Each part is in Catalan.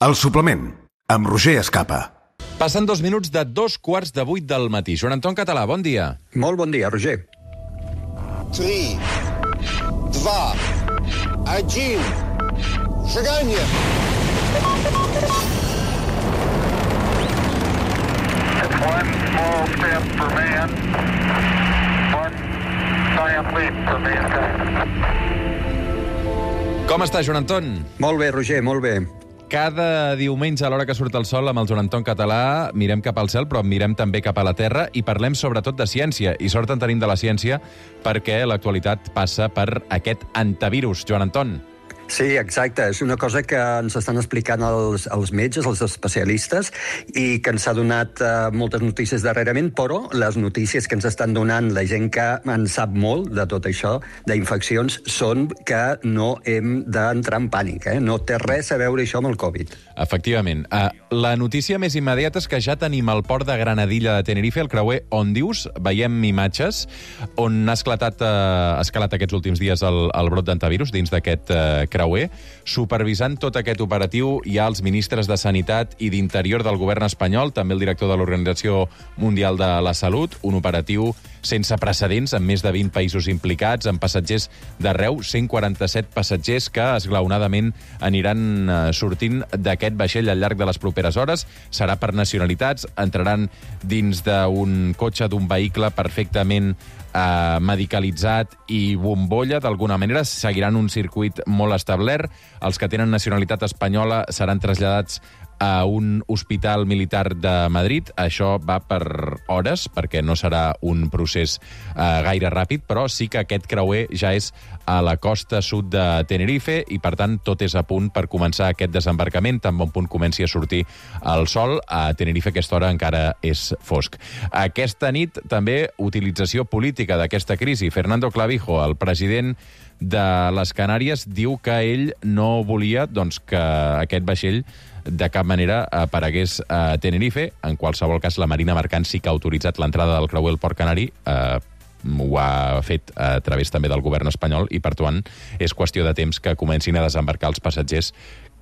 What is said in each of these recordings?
El suplement, amb Roger Escapa. Passen 2 minuts de 2:15 del matí. Joan Anton Català, bon dia. Molt bon dia, Roger. 3, 2, 1, шагание! It's one small step for man, one giant leap for mankind. Com està, Joan Anton? Molt bé, Roger, molt bé. Cada diumenge, a l'hora que surt el sol, amb el Joan Anton Català, mirem cap al cel, però mirem també cap a la terra i parlem sobretot de ciència. I sort en tenim de la ciència perquè l'actualitat passa per aquest antivirus, Joan Anton. Sí, exacte. És una cosa que ens estan explicant els metges, els especialistes, i que ens ha donat moltes notícies darrerament, però les notícies que ens estan donant la gent que en sap molt de tot això, d'infeccions, són que no hem d'entrar en pànic. No té res a veure això amb el Covid. Efectivament. La notícia més immediata és que ja tenim al port de Granadilla de Tenerife, el creuer Òndius. Veiem imatges on ha escalat aquests últims dies el brot d'antivirus dins d'aquest creuer. Supervisant tot aquest operatiu hi ha els ministres de Sanitat i d'Interior del govern espanyol, també el director de l'Organització Mundial de la Salut, un operatiu sense precedents, amb més de 20 països implicats, amb passatgers d'arreu, 147 passatgers que esglaonadament aniran sortint d'aquest vaixell al llarg de les properes hores. Serà per nacionalitats, entraran dins d'un cotxe, d'un vehicle perfectament medicalitzat i bombolla, d'alguna manera, seguiran un circuit molt establert. Els que tenen nacionalitat espanyola seran traslladats a un hospital militar de Madrid. Això va per hores, perquè no serà un procés gaire ràpid, però sí que aquest creuer ja és a la costa sud de Tenerife i, per tant, tot és a punt per començar aquest desembarcament. Tan bon punt comenci a sortir el sol. A Tenerife a aquesta hora encara és fosc. Aquesta nit, també, utilització política d'aquesta crisi. Fernando Clavijo, el president de les Canàries, diu que ell no volia que aquest vaixell de cap manera aparegués a Tenerife. En qualsevol cas, la Marina Mercant sí que ha autoritzat l'entrada del creuer al Port Canari. Ho ha fet a través també del govern espanyol i, per tant, és qüestió de temps que comencin a desembarcar els passatgers,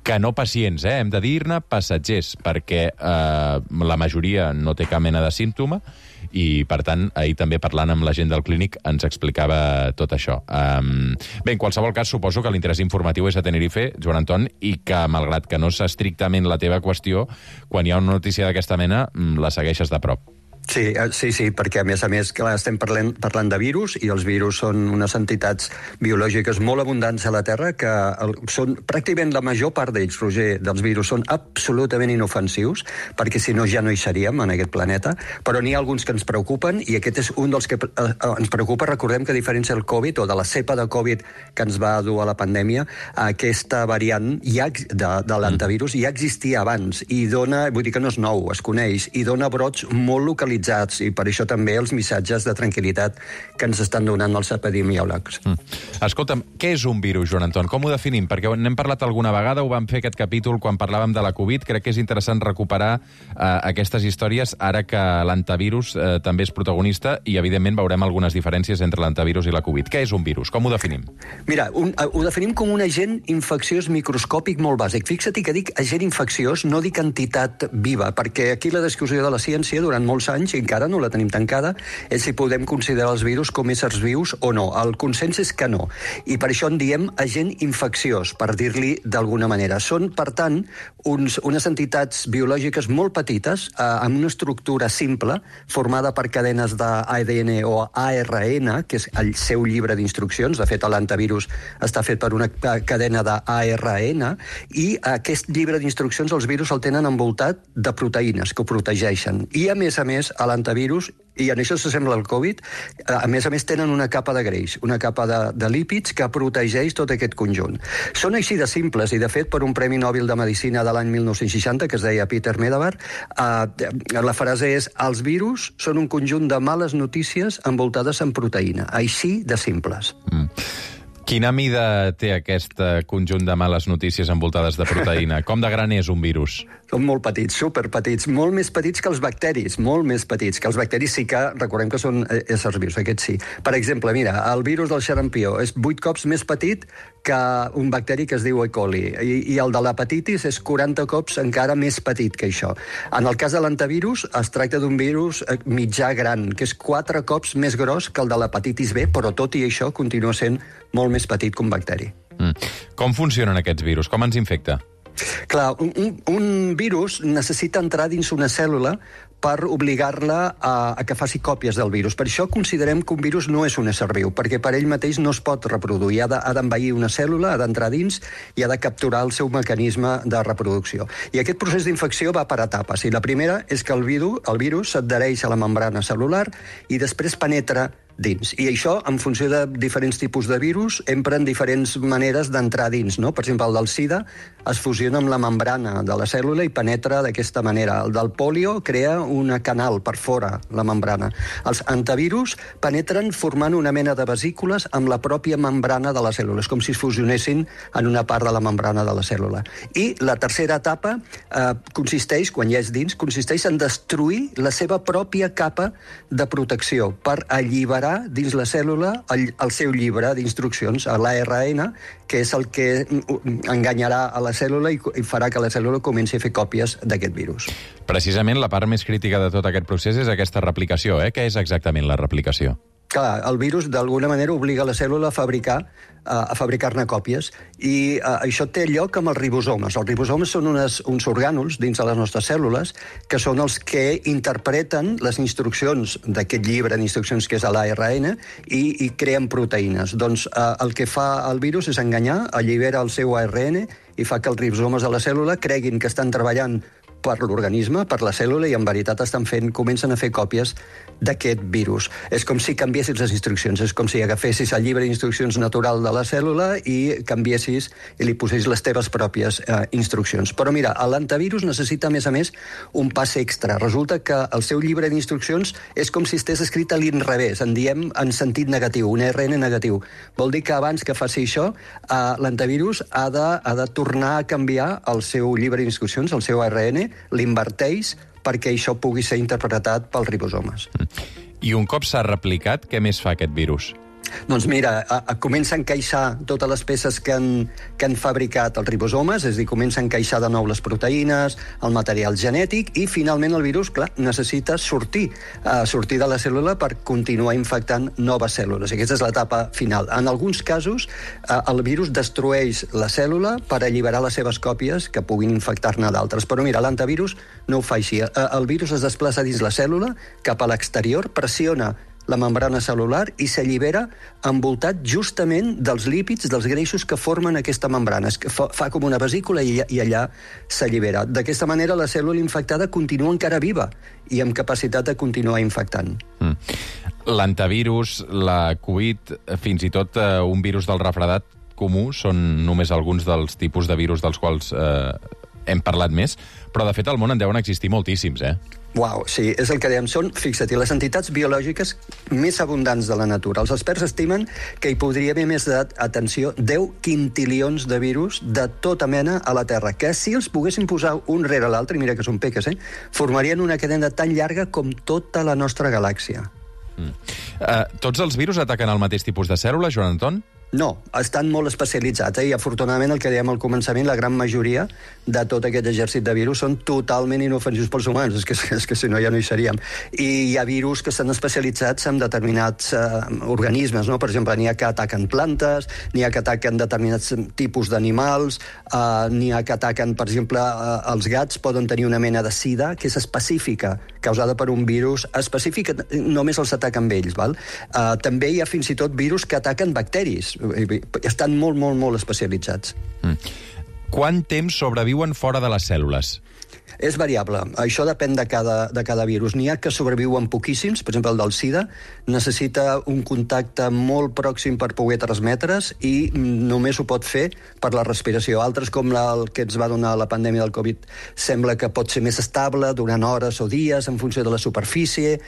que no pacients, hem de dir-ne passatgers, perquè la majoria no té cap mena de símptoma i, per tant, ahir també parlant amb la gent del clínic ens explicava tot això. Bé, en qualsevol cas, suposo que l'interès informatiu és a Tenerife, Joan Anton, i que, malgrat que no és estrictament la teva qüestió, quan hi ha una notícia d'aquesta mena, la segueixes de prop. Sí, perquè a més, clar, estem parlant de virus, i els virus són unes entitats biològiques molt abundants a la Terra, que són pràcticament la major part d'ells, Roger, dels virus, són absolutament inofensius, perquè si no ja no hi seríem en aquest planeta, però n'hi ha alguns que ens preocupen, i aquest és un dels que ens preocupa. Recordem que, a diferència del Covid, o de la cepa de Covid que ens va dur a la pandèmia, aquesta variant de l'antivirus ja existia abans, i dona, vull dir que no és nou, es coneix, i dona brots molt localitzats, i per això també els missatges de tranquil·litat que ens estan donant els epidemiòlegs. Escolta'm, què és un virus, Joan Anton? Com ho definim? Perquè n'hem parlat alguna vegada, ho vam fer aquest capítol quan parlàvem de la Covid. Crec que és interessant recuperar aquestes històries ara que l'antivirus també és protagonista i, evidentment, veurem algunes diferències entre l'antivirus i la Covid. Què és un virus? Com ho definim? Mira, ho definim com un agent infecciós microscòpic molt bàsic. Fixa't que dic agent infecciós, no dic entitat viva, perquè aquí la discussió de la ciència durant molts anys, i encara no la tenim tancada, és si podem considerar els virus com éssers vius o no. El consens és que no. I per això en diem agent infecciós, per dir-li d'alguna manera. Són, per tant, unes entitats biològiques molt petites, amb una estructura simple, formada per cadenes d'ADN o ARN, que és el seu llibre d'instruccions. De fet, l'antivirus està fet per una cadena d'ARN, i aquest llibre d'instruccions els virus el tenen envoltat de proteïnes que ho protegeixen. I, a més, a l'antivirus, i en això s'assembla al Covid, a més tenen una capa de greix, una capa de lípids que protegeix tot aquest conjunt. Són així de simples, i de fet, per un Premi Nobel de Medicina de l'any 1960, que es deia Peter Medawar, la frase és: els virus són un conjunt de males notícies envoltades en proteïna. Així de simples. Quina mida té aquest conjunt de males notícies envoltades de proteïna? Com de gran és un virus? Són molt petits, superpetits, molt més petits que els bacteris, molt més petits. Que els bacteris sí que, recordem que són éssers vius, aquests sí. Per exemple, mira, el virus del xarampió és 8 cops més petit que un bacteri que es diu E. coli, i el de l'hepatitis és 40 cops encara més petit que això. En el cas de l'antivirus, es tracta d'un virus mitjà gran, que és 4 cops més gros que el de l'hepatitis B, però tot i això continua sent molt més petit que un bacteri. Com funcionen aquests virus? Com ens infecta? Clar, un virus necessita entrar dins una cèl·lula per obligar-la a que faci còpies del virus. Per això considerem que un virus no és un ésser viu, perquè per ell mateix no es pot reproduir. Ha d'envair una cèl·lula, ha d'entrar dins i ha de capturar el seu mecanisme de reproducció. I aquest procés d'infecció va per etapes. I la primera és que el virus s'adhereix a la membrana cel·lular i després penetra dins. I això, en funció de diferents tipus de virus, empren diferents maneres d'entrar dins, no? Per exemple, el del SIDA es fusiona amb la membrana de la cèl·lula i penetra d'aquesta manera. El del polio crea un canal per fora, la membrana. Els antivirus penetren formant una mena de vesícules amb la pròpia membrana de la cèl·lula. És com si es fusionessin en una part de la membrana de la cèl·lula. I la tercera etapa consisteix, quan ja és dins, consisteix en destruir la seva pròpia capa de protecció per alliberar dins la cèl·lula el seu llibre d'instruccions, l'ARN, que és el que enganyarà a la cèl·lula i farà que la cèl·lula comenci a fer còpies d'aquest virus. Precisament la part més crítica de tot aquest procés és aquesta replicació. Què és exactament la replicació? Clar, el virus d'alguna manera obliga la cèl·lula a fabricar-ne còpies, i això té lloc amb els ribosomes. Els ribosomes són uns orgànuls dins de les nostres cèl·lules que són els que interpreten les instruccions d'aquest llibre d'instruccions que és l'ARN i creen proteïnes. Doncs el que fa el virus és enganyar, allibera el seu ARN i fa que els ribosomes de la cèl·lula creguin que estan treballant per l'organisme, per la cèl·lula, i en veritat comencen a fer còpies d'aquest virus. És com si canviessis les instruccions, és com si agafessis el llibre d'instruccions natural de la cèl·lula i canviessis i li posessis les teves pròpies instruccions. Però mira, l'antivirus necessita, a més, un pas extra. Resulta que el seu llibre d'instruccions és com si estigués escrit a l'inrevés, en diem en sentit negatiu, un ARN negatiu. Vol dir que abans que faci això, l'antivirus ha de tornar a canviar el seu llibre d'instruccions, el seu ARN, l'inverteix perquè això pugui ser interpretat pels ribosomes. I un cop s'ha replicat, què més fa aquest virus? Doncs mira, comença a encaixar totes les peces que han fabricat els ribosomes, és a dir, comença a encaixar de nou les proteïnes, el material genètic, i finalment el virus, clar, necessita sortir de la cèl·lula per continuar infectant noves cèl·lules. Aquesta és l'etapa final. En alguns casos, el virus destrueix la cèl·lula per alliberar les seves còpies que puguin infectar-ne d'altres. Però mira, l'antivirus no ho fa així. El virus es desplaça dins la cèl·lula, cap a l'exterior, pressiona la membrana cel·lular i s'allibera envoltat justament dels lípids, dels greixos que formen aquesta membrana. Fa com una vesícula i allà s'allibera. D'aquesta manera la cèl·lula infectada continua encara viva i amb capacitat de continuar infectant. L'antivirus, la Covid, fins i tot un virus del refredat comú són només alguns dels tipus de virus dels quals hem parlat més, però de fet al món en deuen existir moltíssims, Uau, sí, és el que dèiem. Són, fixa't, les entitats biològiques més abundants de la natura. Els experts estimen que hi podria haver més d'atenció 10 quintilions de virus de tota mena a la Terra, que si els poguessin posar un rere l'altre, i mira que són peques, formarien una cadena tan llarga com tota la nostra galàxia. Tots els virus ataquen el mateix tipus de cèl·lula, Joan Anton? No, estan molt especialitzats, i afortunadament el que dèiem al començament, la gran majoria de tot aquest exèrcit de virus són totalment inofensius pels humans, és que si no ja no hi seríem. I hi ha virus que estan especialitzats en determinats organismes, no? Per exemple, n'hi ha que ataquen plantes, n'hi ha que ataquen determinats tipus d'animals, n'hi ha que ataquen, per exemple, els gats poden tenir una mena de sida que és específica, causada per un virus específic, només els ataquen ells, val? També hi ha fins i tot virus que ataquen bacteris, estan molt, molt, molt especialitzats. Quant temps sobreviuen fora de les cèl·lules? És variable. Això depèn de cada virus. N'hi ha que sobreviuen poquíssims, per exemple el del SIDA, necessita un contacte molt pròxim per poder transmetre's i només ho pot fer per la respiració. Altres, com el que ens va donar la pandèmia del Covid, sembla que pot ser més estable durant hores o dies en funció de la superfície.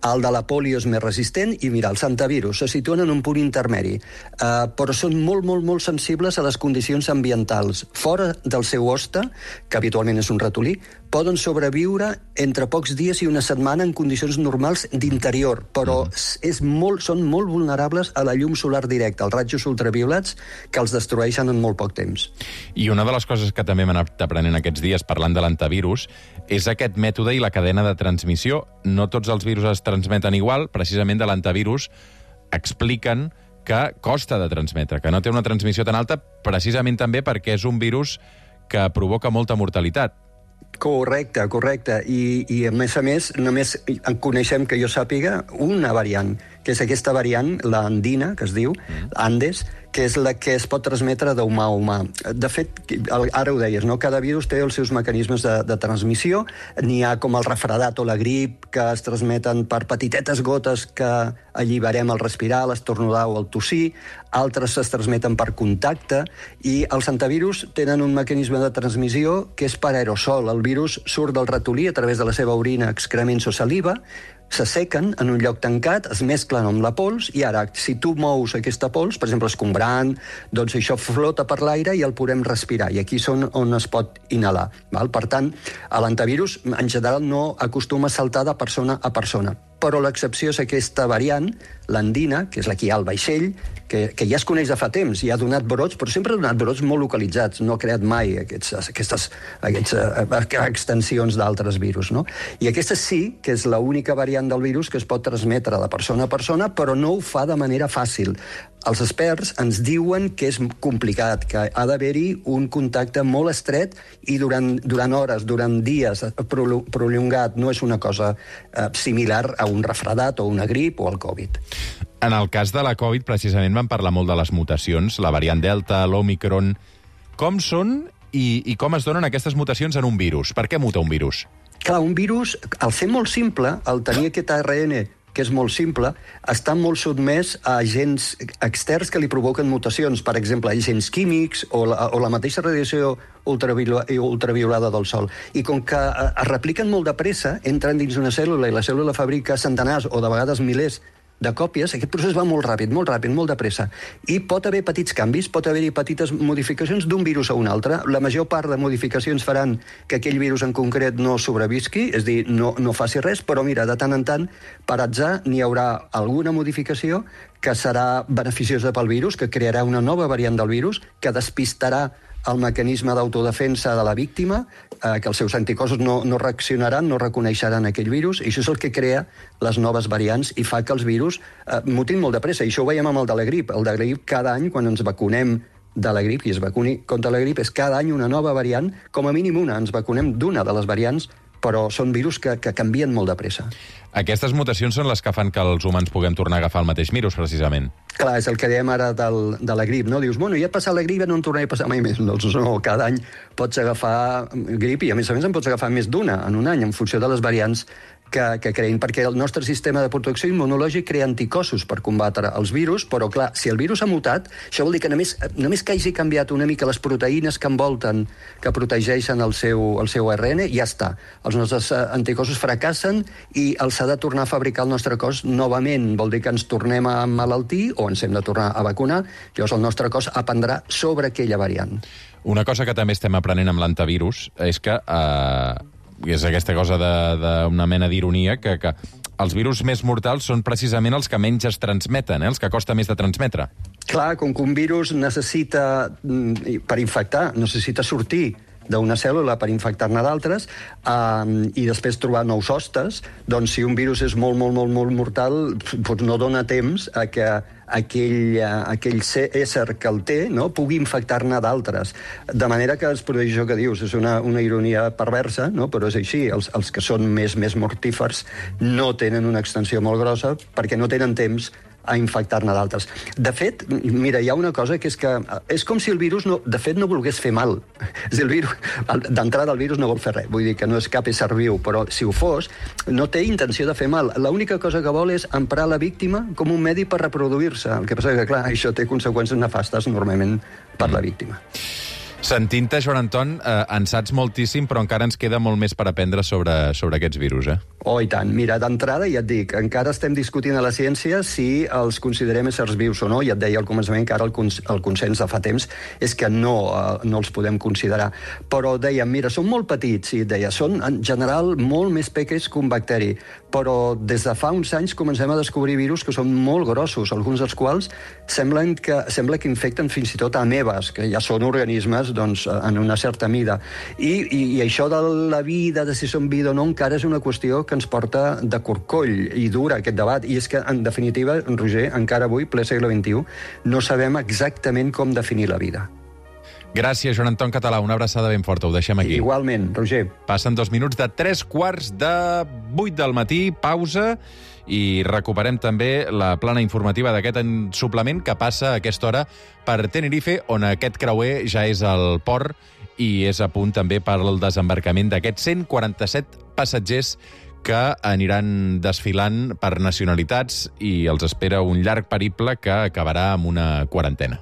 El de la polio és més resistent i, mira, els hantavirus se situen en un punt intermedi, però són molt, molt, molt sensibles a les condicions ambientals. Fora del seu hoste, que habitualment és un ratolí, poden sobreviure entre pocs dies i una setmana en condicions normals d'interior, però són molt vulnerables a la llum solar directa, als rajos ultraviolats, que els destrueixen en molt poc temps. I una de les coses que també hem anat aprenent aquests dies parlant de l'antivirus és aquest mètode i la cadena de transmissió. No tots els virus es transmeten igual. Precisament de l'antivirus expliquen que costa de transmetre, que no té una transmissió tan alta, precisament també perquè és un virus que provoca molta mortalitat. Correcte. I a més, només en coneixem, que jo sàpiga, una variant, que és aquesta variant, l'andina, que es diu, Andes, que és la que es pot transmetre d'humà a humà. De fet, ara ho deies, no? Cada virus té els seus mecanismes de transmissió. N'hi ha com el refredat o la grip, que es transmeten per petitetes gotes que alliberem al respirar, a l'estornudar o al tossir. Altres es transmeten per contacte. I els antivirus tenen un mecanisme de transmissió que és per aerosol. El virus surt del ratolí a través de la seva orina, excrements o saliva, s'assequen en un lloc tancat, es mesclen amb la pols, i ara, si tu mous aquesta pols, per exemple, escombrant, doncs això flota per l'aire i el podem respirar, i aquí són on es pot inhalar. Val? Per tant, l'antivirus, en general, no acostuma a saltar de persona a persona. Però l'excepció és aquesta variant, l'andina, que és la que hi ha al vaixell, que ja es coneix de fa temps i ha donat brots, però sempre ha donat brots molt localitzats, no ha creat mai aquestes extensions d'altres virus. No? I aquesta sí que és l'única variant del virus que es pot transmetre de persona a persona, però no ho fa de manera fàcil. Els experts ens diuen que és complicat, que ha d'haver-hi un contacte molt estret i durant hores, durant dies, prolongat. No és una cosa similar a un refredat o una grip o el Covid. En el cas de la Covid, precisament, vam parlar molt de les mutacions, la variant Delta, l'Omicron. Com són i com es donen aquestes mutacions en un virus? Per què muta un virus? Clar, un virus, al ser molt simple, al tenir aquest ARN que és molt simple, està molt sotmès a agents externs que li provoquen mutacions, per exemple, agents químics o la mateixa radiació ultraviolada del Sol. I com que es repliquen molt de pressa, entren dins una cèl·lula i la cèl·lula fabrica centenars o de vegades milers de còpies, aquest procés va molt ràpid, molt de pressa. I pot haver petits canvis, pot haver-hi petites modificacions d'un virus a un altre. La major part de modificacions faran que aquell virus en concret no sobrevisqui, és a dir, no faci res, però mira, de tant en tant, per atzar, n'hi haurà alguna modificació que serà beneficiosa pel virus, que crearà una nova variant del virus, que despistarà el mecanisme d'autodefensa de la víctima, que els seus anticossos no reaccionaran, no reconeixeran aquell virus, i això és el que crea les noves variants i fa que els virus mutin molt de pressa. I això ho veiem amb el de la grip. El de la grip, cada any, quan ens vacunem de la grip, i es vacuni contra la grip, és cada any una nova variant, com a mínim una. Ens vacunem d'una de les variants, però són virus que canvien molt de pressa. Aquestes mutacions són les que fan que els humans puguem tornar a agafar el mateix virus, precisament. Clar, és el que dèiem ara de la grip, no? Dius, bueno, ja ha passat la grip, no en tornaré a passar mai més. Doncs no, cada any pots agafar grip i, a més en pots agafar més d'una en un any, en funció de les variants que creïn, perquè el nostre sistema de protecció immunològic crea anticossos per combatre els virus, però clar, si el virus ha mutat, això vol dir que només que hagi canviat una mica les proteïnes que envolten, que protegeixen el seu ARN, ja està. Els nostres anticossos fracassen i els s'ha de tornar a fabricar el nostre cos novament. Vol dir que ens tornem a emmalaltir o ens hem de tornar a vacunar, llavors el nostre cos aprendrà sobre aquella variant. Una cosa que també estem aprenent amb l'antivirus és que és aquesta cosa d'una mena d'ironia, que els virus més mortals són precisament els que menys es transmeten, els que costa més de transmetre. Clar, com que un virus necessita, per infectar, necessita sortir d'una cèl·lula per infectar-ne d'altres i després trobar nous hostes, doncs si un virus és molt mortal, doncs no dona temps a que aquell ésser que el té pugui infectar-ne d'altres. De manera que es produeix això que dius, és una ironia perversa, però és així. Els que són més mortífers no tenen una extensió molt grossa perquè no tenen temps a infectar-ne d'altres. De fet, mira, hi ha una cosa que és com si el virus, de fet, no volgués fer mal. D'entrada, el virus no vol fer res. Vull dir que no és cap ésser viu, però si ho fos, no té intenció de fer mal. L'única cosa que vol és emprar la víctima com un medi per reproduir-se. El que passa és que, clar, això té conseqüències nefastes normalment per la víctima. Sentint-te, Joan Anton, en saps moltíssim, però encara ens queda molt més per aprendre sobre aquests virus, eh? Oh, i tant. Mira, d'entrada, ja et dic, encara estem discutint a la ciència si els considerem éssers vius o no. Ja et deia al començament que ara el consens de fa temps és que no els podem considerar. Però dèiem, mira, són molt petits, i et deia, són en general molt més pequeños que un bacteri, però des de fa uns anys comencem a descobrir virus que són molt grossos, alguns dels quals sembla que infecten fins i tot amebes, que ja són organismes doncs, en una certa mida. I això de la vida, de si són vida o no, encara és una qüestió que ens porta de corcoll i dura aquest debat. I és que, en definitiva, Roger, encara avui, ple segle XXI, no sabem exactament com definir la vida. Gràcies, Joan Anton Català. Una abraçada ben forta. Ho deixem aquí. Igualment, Roger. Passen 2 minuts de 7:45 del matí, pausa, i recuperem també la plana informativa d'aquest suplement que passa a aquesta hora per Tenerife, on aquest creuer ja és al port i és a punt també per al desembarcament d'aquests 147 passatgers que aniran desfilant per nacionalitats i els espera un llarg periple que acabarà amb una quarantena.